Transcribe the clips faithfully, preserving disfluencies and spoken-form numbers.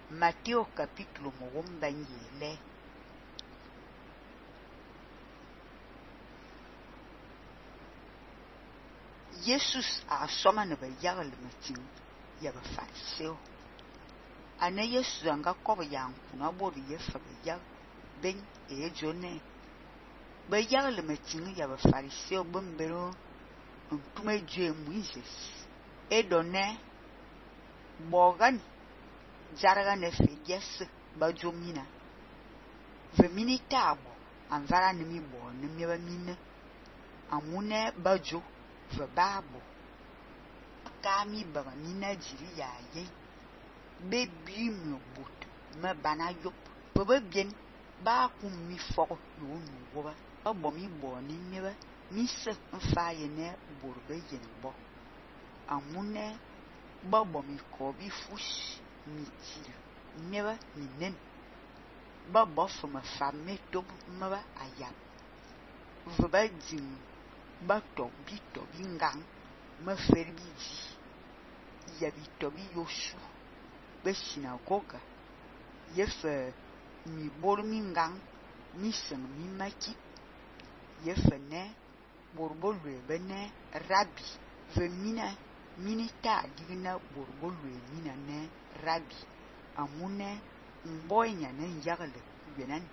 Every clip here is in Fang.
Matteo capítulo mogomba nyele. Jesus a soma ne ba yagle matin ya ba fariseo. Ana Jesus anga kob ya nkuna bodu ye fa ba yag ben e jone. Ba yagle matin ya ba fariseo bombero ntume je Moses. E donne bogan jarga ne fe yes ba jomina. Ve minita abo anvara ne mi bo ne mi ba mine. Amune bajo ve babo. Kami baga mina jiri ya ye. Bebi mi bot me bana yop. Bebe bien ba kum mi foko yo nu woba. Ba bo mi bo ni mi ba. Mi se mfa ye ne borbe yen bo. Amune ba bo mi ko bi fush mi til. Mi ba mi nen. Ba bo fo me fa me top me ba ayap. Ve ba jing ba to bi to bi ngang me fer bi di. Ya bi to bi yosu. Be sinagoga. Ye fe mi bor mi ngang mi seng mi maki. Ye fe ne borbo lue be ne rabi. Ve mina minita digna borbo lue mina ne rabi. Amune mboy nya ne yagle yenan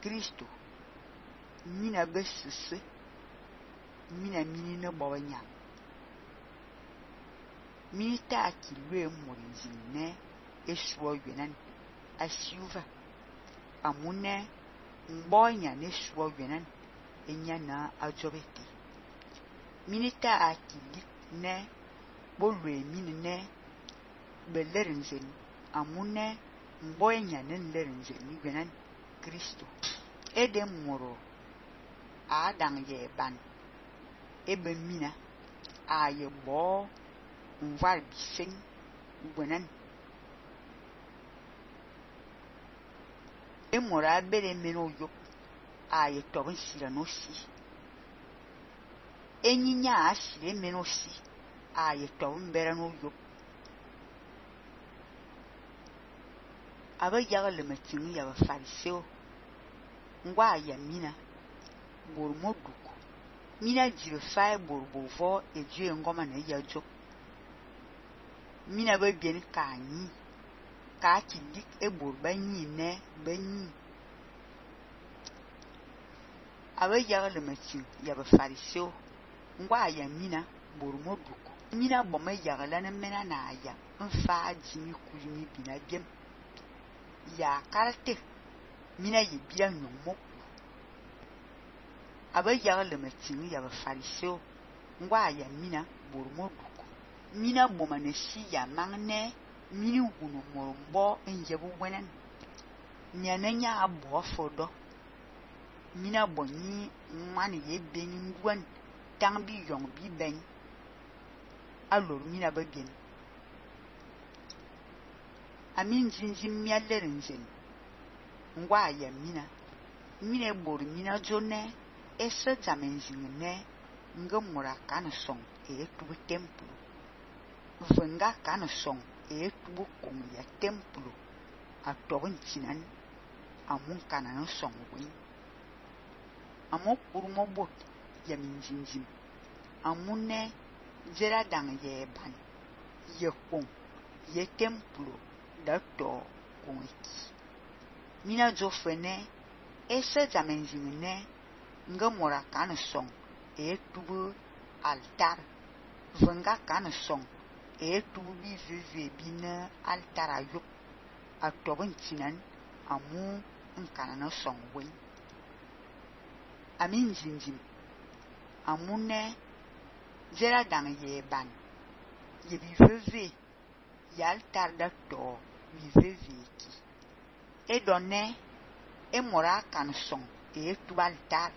Kristo. Mina be sese. Mina mini ne boba nya. Minita ki lue morinzi ne eswo yenan asiuva. Amune mboy nya ne eswo yenan enya na ajobete. Minita akili ne bolwe mini ne belerenzen. Amune mboy nya ne lerenzen yenan Kristo. Ede moro adang ye ban. Ebe mina a ye bo mvar biseng gwenan. E mora bere meno yop a ye tobin sira no si. E nyinya a sire meno si a ye tobin bere no yop. Aba yagle matin ya ba fariseo. Ngwa ya mina bormo duko. Mina jire fay borbo vo e jue ngoma ne ya jo. Mina be bien ka nyi. Ka ki dik e borba nyi ne be nyi. Aba yagle matin ya ba fariseo. Ngwa ya mina bormo duko. Mina boma yagle ne mena na ya. Mfa jimi kulimi bina biem. Ya karate. Mina ye bila nyomok. Aba yagle matin ya ba fariseo. Ngwa ya mina bormo duko. Mina boma ne si ya mangne. Mini wunu morombo enjebu wenen. Nyane nya abo fodo. Mina boni mani ye beni ngwan. Tang bi yong bi ben. Alors mina ba bien. Amin jinjin mialerenzen. Ngwa ya mina. Mina bor mina jone. Ese zamenzin ne. Nga mura kana song. E tubu templo. Venga kana song. E tubu kong ya templo. A tobin chinan. Amun kana no song win. Amok urmo bot. Ya min jinjin. Amune. Jera dang ye ban. Ye kong. Ye templo. Da to kong iki. Mina jo fene. Ese zamenzin ne. Nga mora kana song. E tubu altar. Venga kana song. E tubu bi veve bina altar ayop. A tobin chinan. Amu nkana no song win. Amin jinjin. Amune. Jera dang ye ban. Ye bi veve. Ye altar da to. Bi veve ki. E donne. E mora kana song. E tubu altar.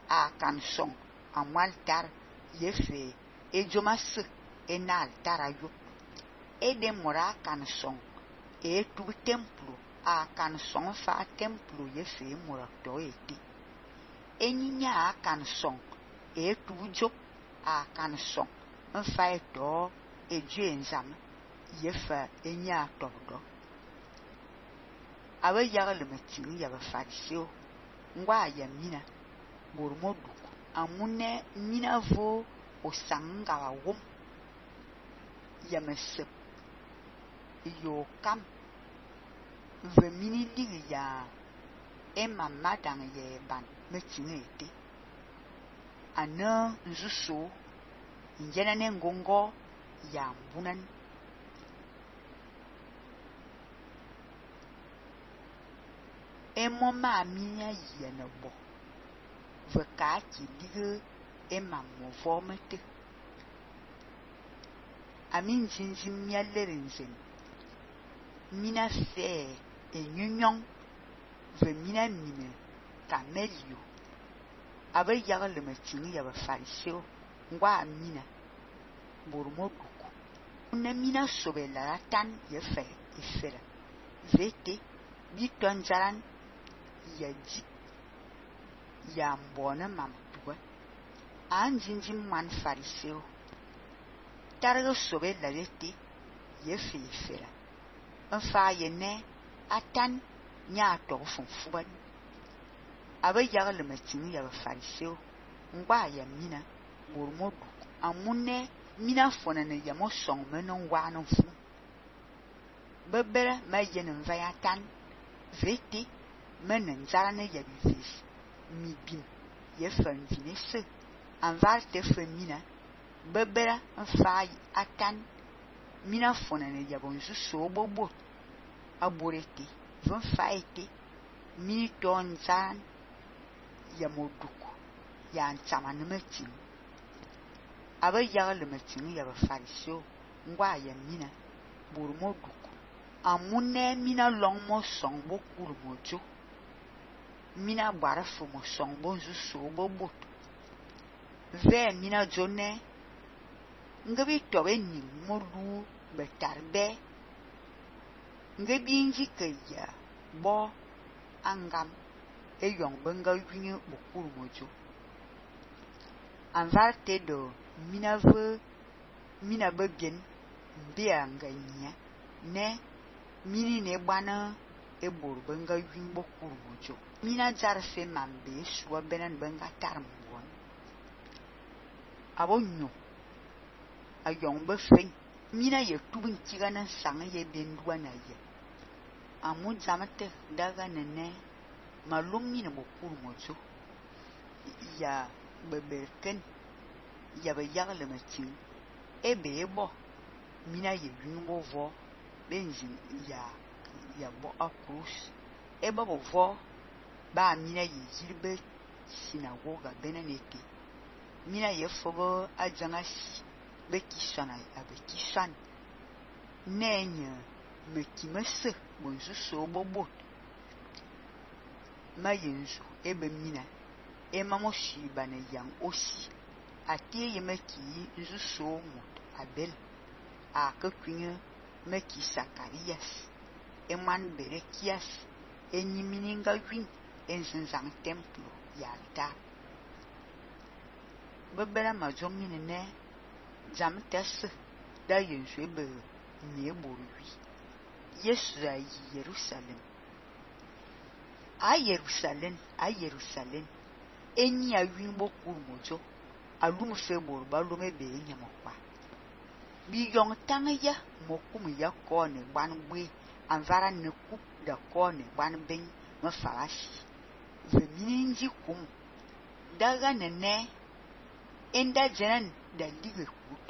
A kan song amu altar ye fe e jomas e na altar ayop. E de mora kan song e tu templo a kan song fa templo ye fe mora to eti. E nyinya kan song e tu jo a kan song mfa e to e ju enzam ye fa e nya to do. aba yagle matin ya ba fariseo ngwa ya mina bormo duku amune mina vo o sanga wa wom ya mesep yo kam ve mini ligi ya ema madang ye ban matin ete ana nzuso njena ne ngongo ya mbunan emo ma minya yene bo veka ki dige ema mo vomete amin jinjin mialerenzen mina fe enyunyong ve mina mine kamelio aba yagle matin ya ba fariseo ngwa mina bormo duku una mina sobela tan ye fe efera vete biton jaran ya ji ya mbona mam tuwa an jinjin man fariseo targa sobela lete ye fe efera nfa ye ne atan nya to funfuban aba yagle matin ya ba fariseo ngwa ya mina bormo duku amune mina fona ne ya mo song menon wa non fu bebere ma yen vaya tan vete menen jarane ya bivis mi bin ye fan vinese anvar te femina bebere nfa atan mina fona ne ya bonzu so bobo aborete von faite mini ton zan ya moduku ya ntsamane matin aba yagle matin ya ba fariseo ngwa ya mina bormo duku amune mina long mo song bo kuru mojo mina bara fo mo song bo nzuso bo bot ve mina jone ngabi tobe ni mo lu betarbe ngabi nji kaya bo angam e yong benga yinye bo kuru mojo anvarte do mina ve mina bebien mbia nganya ne mini ne bana e bor benga yin bokuru mojo mina jarfe mambe suwa benan benga tarmbon abonyo ayong be fen mina ye tubin kigana sanga ye benduwa na ye amu jamate daga nene malum mini bokuru mojo ya beberken ya be yagle matin ebe ebo mina ye yungo vo benzin ya ya bo akrus eba bo vo ba mina ye zirbe sinagoga benanete mina ye fogo ajanga be kisana abe kisan nenya mekimese bonzu so bobo ma yenzu ebe mina ema mo shiba ne yang osi atie ye meki nzu so mot abel a kakwinye meki Sakarias eman berekias enyimininga win enzenzang templo yalta bebera majongi ne jam tes da yensu ebe ne borwi Yesu ayi Jerusalem a Jerusalem a Jerusalem enyi awin bokur mojo alum fe bor balume be nyamokwa bi yong tangya mokum ya ko ne gbanwe anvara ne kup da ko ne gbanben ma farashi ve mininji kum daga nene enda jenan da lige kut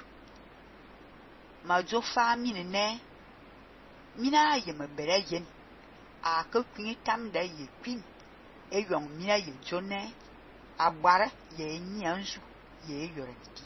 majo fami ne mina ye mabere yen a ka kwini tam da ye kwin e yong mina ye jone agbara ye nyanzu ye yorenti